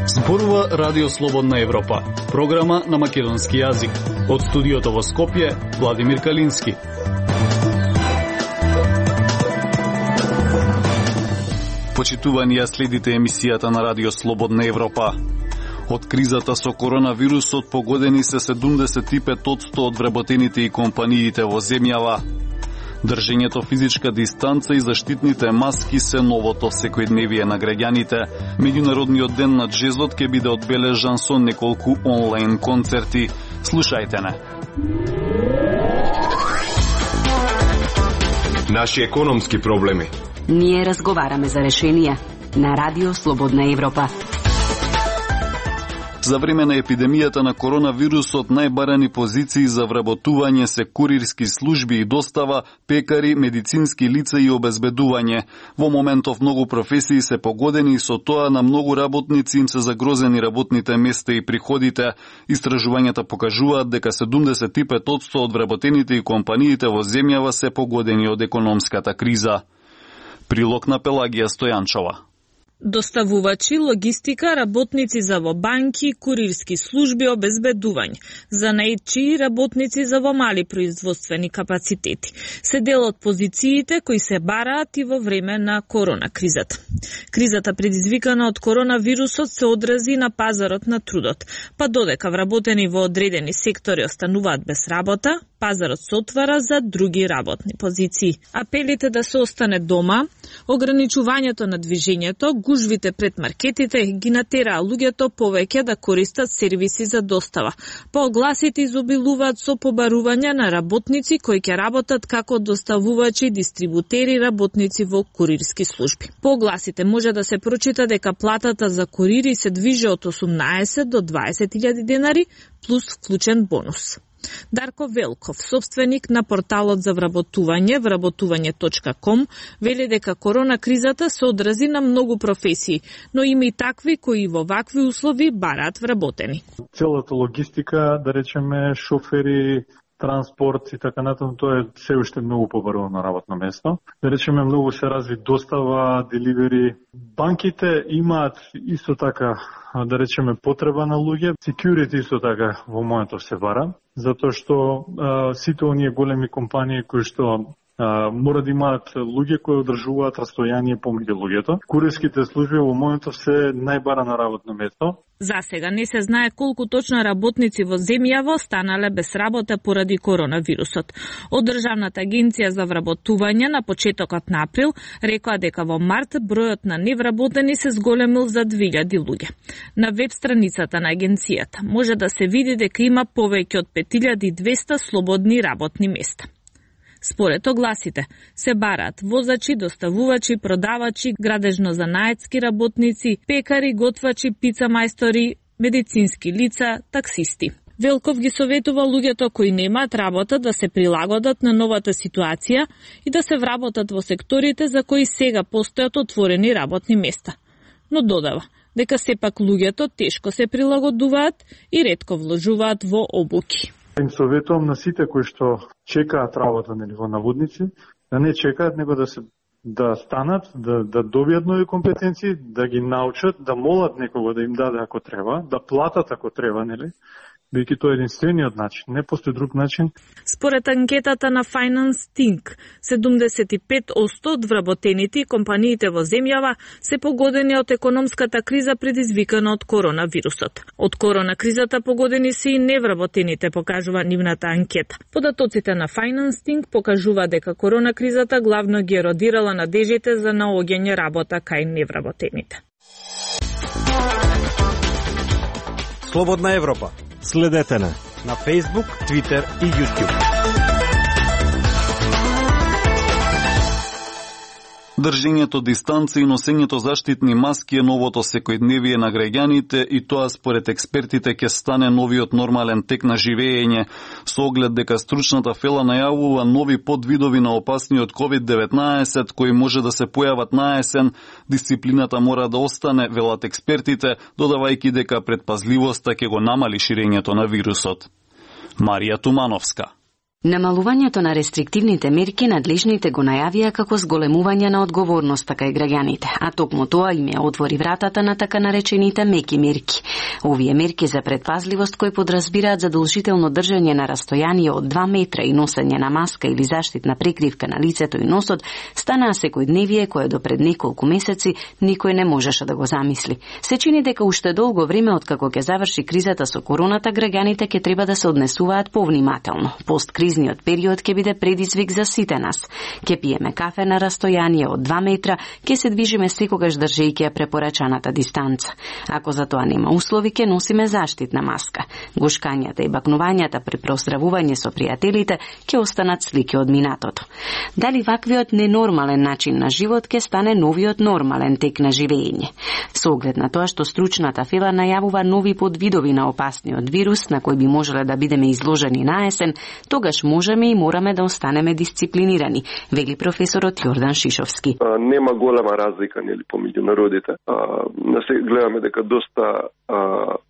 Зборува Радио Слободна Европа, програма на македонски јазик. Од студиото во Скопје, Владимир Калински. Почитувани ја следите емисијата на Радио Слободна Европа. Од кризата со коронавирусот погодени се 75% од вработените и компаниите во земјава. Држењето физичка дистанца и заштитните маски се новото секојдневие на граѓаните. Меѓународниот ден на джезот ќе биде одбележан со неколку онлайн концерти. Слушајте не. Наши економски проблеми. Ние разговараме за решенија на Радио Слободна Европа. За време на епидемијата на коронавирусот најбарани позиции за вработување се курирски служби и достава, пекари, медицински лица и обезбедување. Во моментов многу професии се погодени и со тоа на многу работници им се загрозени работните места и приходите. Истражувањата покажуваат дека 75% од вработените и компаниите во земјава се погодени од економската криза. Прилог на Пелагија Стојанчова. Доставувачи, логистика, работници за во банки, курирски служби, обезбедување, занаетчи, работници за во мали производствени капацитети. Се дел од позициите кои се бараат и во време на коронакризата. Кризата предизвикана од коронавирусот се одрази на пазарот на трудот, па додека вработени во одредени сектори остануваат без работа, пазарот се отвара за други работни позиции. Апелите да се остане дома, ограничувањето на движењето, гужвите пред маркетите ги натераа луѓето повеќе да користат сервиси за достава. Поогласите изобилуваат со побарување на работници кои ќе работат како доставувачи, дистрибутери, работници во курирски служби. Поогласите може да се прочита дека платата за курири се движи од 18 до 20.000 денари плюс вклучен бонус. Дарко Велков, собственик на порталот за вработување, вработување.com, вели дека коронакризата се одрази на многу професии, но има и такви кои во вакви услови бараат вработени. Целата логистика, да речеме шофери, транспорт и така натаму, тоа е се уште многу побарувано работно место. Да речеме многу се разви достава, деливери. Банките имаат исто така, да речеме, потреба на луѓе. Security исто така во моментов се бара, затоа што сите оние големи компании кои што мора да имаат луѓе кои одржуваат растојание помеѓу луѓето. Курирските служби во моментов се најбарано работно место. За сега не се знае колку точно работници во земјава останале без работа поради коронавирусот. Од Државната агенција за вработување на почетокот на април рекоа дека во март бројот на невработени се зголемил за 2000 луѓе. На веб страницата на агенцијата може да се види дека има повеќе од 5200 слободни работни места. Според огласите, се бараат возачи, доставувачи, продавачи, градежно-занаетски работници, пекари, готвачи, пица мајстори, медицински лица, таксисти. Велков ги советува луѓето кои немаат работа да се прилагодат на новата ситуација и да се вработат во секторите за кои сега постојат отворени работни места. Но додава дека сепак луѓето тешко се прилагодуваат и ретко вложуваат во обуки. Им советувам на сите кои што чекаат работа на ниво наводници, да не чекаат, него да станат, да добијат нови компетенции, да ги научат, да молат некого да им даде ако треба, да платат ако треба, нели? Бидејќи тоа е единствениот начин, не постои друг начин. Според анкетата на Finance Think, 75% од вработените и компаниите во земјава се погодени од економската криза предизвикана од коронавирусот. Од коронакризата погодени се и невработените, покажува нивната анкета. Податоците на Finance Think покажува дека коронакризата главно ги еродирала надежите за наоѓање работа кај невработените. Слободна Европа. Следете на Facebook, Twitter и YouTube. Држењето дистанца и носењето заштитни маски е новото секојдневие на граѓаните и тоа според експертите ќе стане новиот нормален тек на живење, со оглед дека стручната фела најавува нови подвидови на опасниот COVID-19 кои може да се појават на есен. Дисциплината мора да остане, велат експертите, додавајќи дека предпазливоста ќе го намали ширењето на вирусот. Марија Тумановска. Намалувањето на рестриктивните мерки надлежните го најавија како зголемување на одговорноста кај граѓаните, а токму тоа им ја отвори вратата на така наречените меки мерки. Овие мерки за предпазливост кои подразбираат задолжително држање на растојание од 2 метра и носење на маска или заштитна прекривка на лицето и носот станаа секојдневие кое до пред неколку месеци никој не можеше да го замисли. Се чини дека уште долго време откако ќе заврши кризата со короната, граѓаните ќе треба да се однесуваат повнимателно. Посткризниот период ќе биде предизвик за сите нас. Ќе пиеме кафе на растојание од 2 метра, ќе се движиме секогаш држејќи ја препорачаната дистанца. Ако за тоа нема услови, ќе носиме заштитна маска. Гушкањата и бакнувањата при проздравување со пријателите ќе останат слики од минатото. Дали ваквиот ненормален начин на живот ќе стане новиот нормален тек на живење? Со оглед на тоа што стручната фела најавува нови подвидови на опасниот вирус на кој би можеле да бидеме изложени на есен, тогаш можеме и мораме да останеме дисциплинирани, вели професорот Јордан Шишовски. Нема голема разлика помеѓу народите. Гледаме дека доста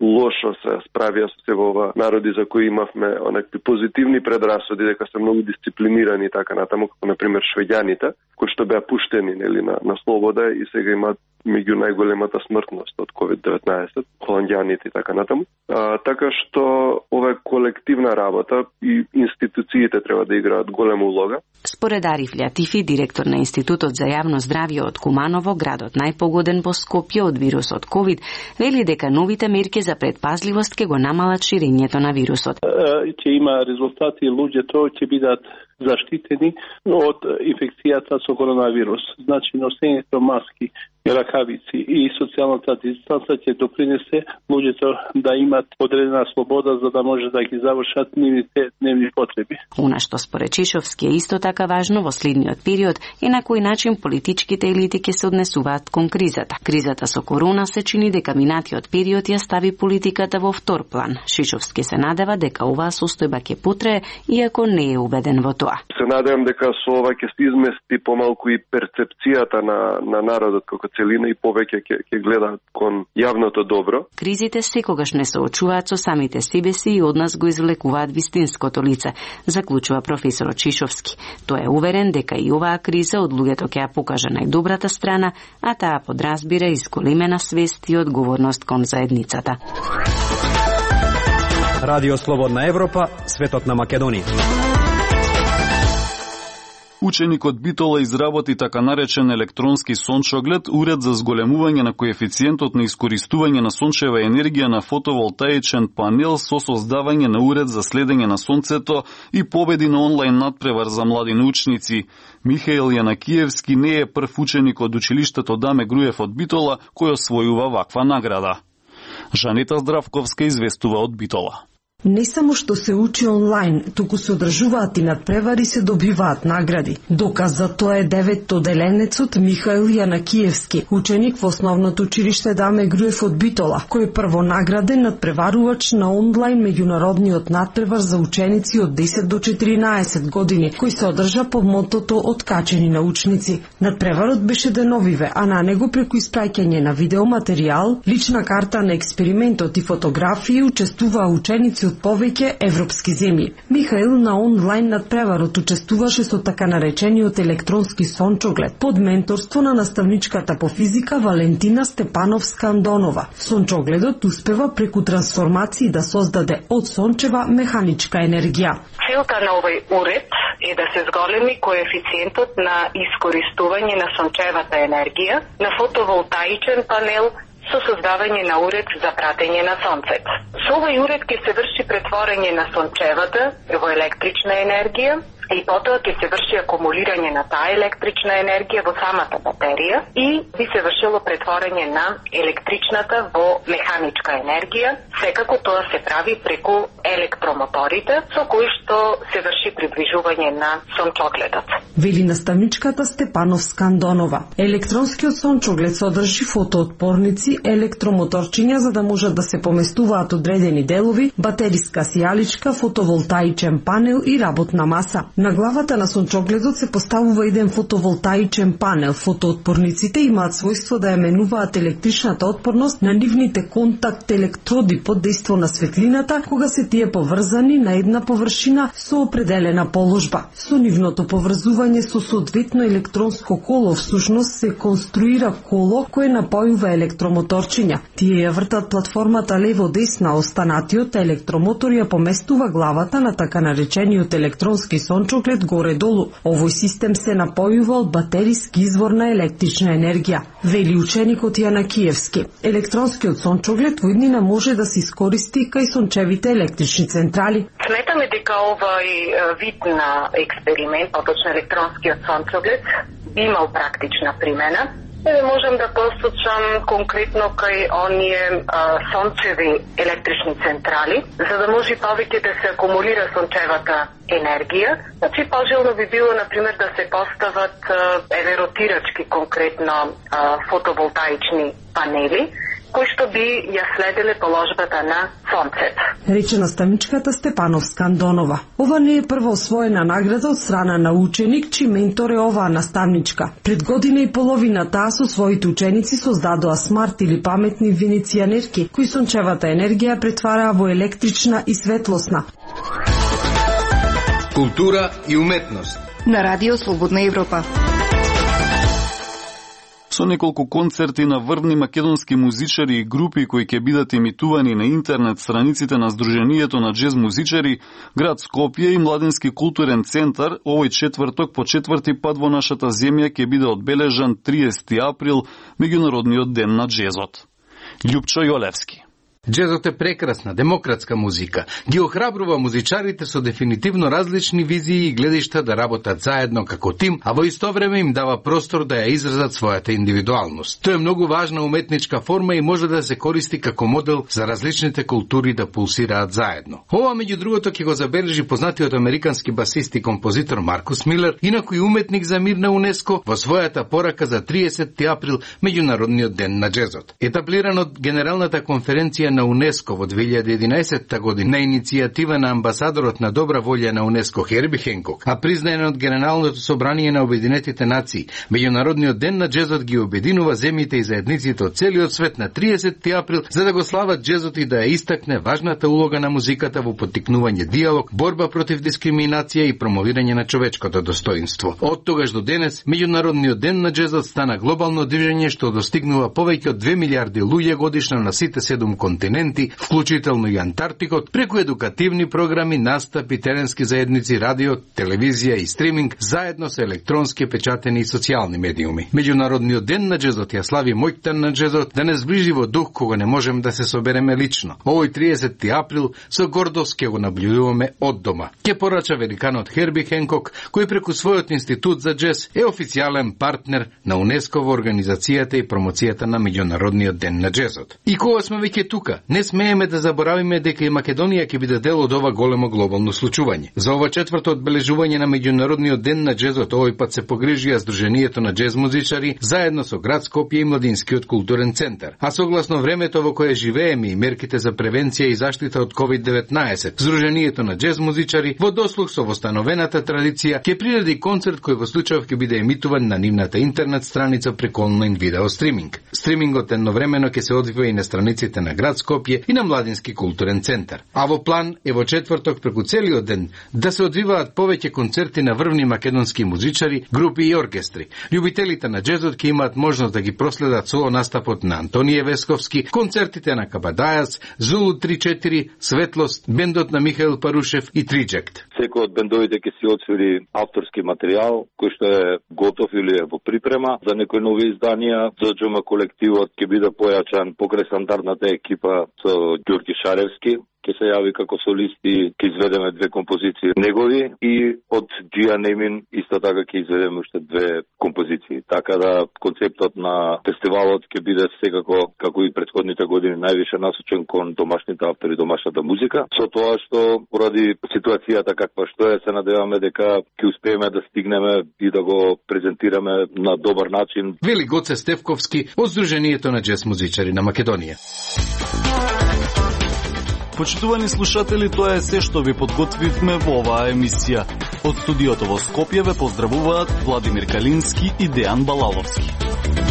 лошо се справија со се ова народи за кои имавме онакви позитивни предрасуди дека се многу дисциплинирани и така натаму, како например швеѓаните, кои што беа пуштени на слобода и сега имаат меѓу најголемата смртност од COVID-19, холандјаните и така натаму. Така што ова е колективна работа и институциите треба да играат голема улога. Според Ариф Лјатифи, директор на Институтот за јавно здравје од Куманово, градот најпогоден по Скопје од вирусот COVID, вели дека новите мерки за предпазливост ќе го намалат ширењето на вирусот. Ќе има резултати, луѓето ќе бидат заштитени од инфекцијата со коронавирус. Значи, носењето маски, ракавици и социјалната дистанца ќе допринесе луѓето да имат одредена слобода за да може да ги завршат нивните дневни потреби. Она што според Чишовски е исто така важно во следниот период е на кој начин политичките елити ќе се однесуваат кон кризата. Кризата со корона се чини дека минатиот период ја стави политиката во втор план. Шишовски се надева дека оваа состојба ќе потрае, иако не е убеден во тоа. Се надевам дека со ова ќе се измести помалку и перцепцијата на народот како целина и повеќе ќе гледаат кон јавното добро. Кризите секогаш не соочуваат со самите себе си и од нас го извлекуваат вистинското лице, заклучува професорот Чишовски. Тој е уверен дека и оваа криза од луѓето ќе ја покаже најдобрата страна, а таа подразбира изголемена свест и одговорност кон заедницата. Радио Слободна Европа, светот на Македонија. Ученикот Битола изработи така наречен електронски сончоглед, уред за зголемување на коефициентот на искористување на сончева енергија на фотоволтаичен панел со создавање на уред за следење на сонцето и победи на онлайн надпревар за млади научници. Михаил Јанакиевски не е прв ученик од училиштето Даме Груев од Битола кој освојува ваква награда. Жанета Здравковска известува од Битола. Не само што се учи онлайн, туку се одржуваат и надпревари, се добиваат награди. Доказ за тоа е деветоделенецот Михаил Јанакиевски, ученик во основното училиште Даме Груев од Битола, кој е првонаграден надпреварувач на онлайн меѓународниот надпревар за ученици од 10 до 14 години, кој се одржа под мотото Откачени научници. Надпреварот беше деновиве, а на него преку испраќање на видеоматеријал, лична карта на експериментот и фотографии учествуваа ученици од повеќе европски земји. Михаил на онлайн надпреварот учествуваше со така наречениот електронски сончоглед под менторство на наставничката по физика Валентина Степановска-Андонова. Сончогледот успева преку трансформации да создаде од сончева механичка енергија. Целта на овој уред е да се зголеми коефициентот на искористување на сончевата енергија на фотоволтаичен панел со создавање на уред за пратење на сонцето. Со овој уред ќе се врши претворање на сончевата во електрична енергија и потоа ќе се врши акумулирање на таа електрична енергија во самата батерија и би се вршило претворање на електричната во механичка енергија. Секако тоа се прави преку електромоторите со кои што се врши приближување на сончогледот. вели наставничката Степановска Андонова. Електронскиот сончоглед содржи фотоотпорници, електромоторчиња за да можат да се поместуваат одредени делови, батериска сијаличка, фотоволтаичен панел и работна маса. На главата на сончогледот се поставува еден фотоволтаичен панел. Фотоотпорниците имаат својство да ја менуваат електричната отпорност на нивните контакт електроди под дејство на светлината, кога се тие поврзани на една површина со определена положба. Со нивното поврзување со соодветно електронско коло всушност се конструира коло кое напојува електромоторчиња. Тие ја вртат платформата лево-десна, останатиот електромотор ја поместува главата на така наречениот електронски сончоглед горе-долу. Овој систем се напојува од батериски извор на електрична енергија, вели ученикот Јанакиевски. Електронскиот сончоглед во иднина може да се искористи кај сончевите електрични централи. Сметаме дека овој вид на експеримент, поточно електронскиот сончоглед, имал практична примена. Можам да посочам конкретно кај оние сончеви електрични централи, за да може повеќе да се акумулира сончевата енергија. Значи, пожелно би било, например, да се постават ротирачки, конкретно фотоволтаични панели, кои што би ја следеле положбата на сонцето. Рече наставничката Степановска Андонова. Ова не е прва освоена награда од страна на ученик, чиј ментор е оваа наставничка. Пред година и половина таа со своите ученици создадоа смарт или паметни венецијанерки, кои сончевата енергија претвараа во електрична и светлосна. Култура и уметност. На Радио Слободна Европа. Со неколку концерти на врвни македонски музичари и групи кои ќе бидат емитувани на интернет страниците на Сдруженијето на џез музичари, град Скопје и Младински културен центар, овој четврток по четврти пат во нашата земја ќе биде одбележан 30 април, меѓународниот ден на џезот. Љупчо Јолевски. Џезот е прекрасна, демократска музика. Ги охрабрува музичарите со дефинитивно различни визии и гледишта да работат заедно како тим, а во исто време им дава простор да ја изразат својата индивидуалност. Тоа е многу важна уметничка форма и може да се користи како модел за различните култури да пулсираат заедно. Ова, меѓу другото, ќе го забележи познатиот американски басист и композитор Маркус Милер, инакој уметник за мир на УНЕСКО, во својата порака за 30 април, меѓународниот ден на џезот. Етаблиран од Генералната конференција на УНЕСКО во 2011 година на иницијатива на амбасадорот на добра волја на УНЕСКО Херби Хенкок, а признаен од Генералното собрание на Обединетите нации, меѓународниот ден на џезот ги обединува земјите и заедниците од целиот свет на 30 април за да го слават џезот и да ја истакне важната улога на музиката во поттикнување диалог, борба против дискриминација и промовирање на човечкото достоинство. Од тогаш до денес, меѓународниот ден на џезот стана глобално движење што достигнува повеќе од 2 милиарди луѓе годишно на сите 7 континенти, вклучително и Антарктикот, преку едукативни програми, настапи, теренски заедници, радио, телевизија и стриминг, заедно со електронски печатени и социјални медиуми. Меѓународниот ден на џезот ја слави моќта на џезот да не зближи во дух кога не можем да се собереме лично. Овој 30 април со гордост ќе го наблюдуваме од дома. Ке порача великанот Херби Хенкок, кој преку својот институт за џез е официјален партнер на УНЕСКО во организацијата и промоцијата на меѓународниот ден на џезот. И кога сме веќе тука, не смееме да заборавиме дека и Македонија ќе биде дел од ова големо глобално случување. За ова четврто одбележување на меѓународниот ден на џезот овој пат се погрижија Сдруженијето на џез музичари заедно со град Скопје и Младинскиот културен центар. А согласно времето во кое живееме и мерките за превенција и заштита од COVID-19, Сдруженијето на џез музичари во дослух со востановената традиција ќе приреди концерт кој во случајов ќе биде емитуван на нивната интернет страница преку онлайн видео стриминг. Стримингот едновремено ќе се одвива и на страниците на град Скопје и на Младински културен центар. А во план е во четврток преку целиот ден да се одвиваат повеќе концерти на врвни македонски музичари, групи и оркестри. Љубителите на џезот ќе имаат можност да ги проследат соло настапот на Антонije Весковски, концертите на Кабадајац, Зулу 3-4, Светлост, бендот на Михаил Парушев и Триџект. Секој од бендовите ќе си отсвири авторски материјал кој што е готов или е во припрема за некои нови изданија. ДџМ колективот ќе биде појачан покрај стандардната екипа со Ѓорги Шаревски, ќе се јави како солисти, ќе изведеме 2 композиции негови и од Джија Немин исто така ќе изведеме уште 2 композиции. Така да концептот на фестивалот ќе биде секако, како и претходните години, највише насочен кон домашните автори, домашната музика. Со тоа што поради ситуацијата каква што е, се надеваме дека ќе успееме да стигнеме и да го презентираме на добар начин. Вели Гоце Стевковски од Сдруженијето на џез музичари на Македонија. Почитувани слушатели, тоа е се што ви подготвивме во оваа емисија. Од студиото во Скопје ве поздравуваат Владимир Калински и Дејан Балаловски.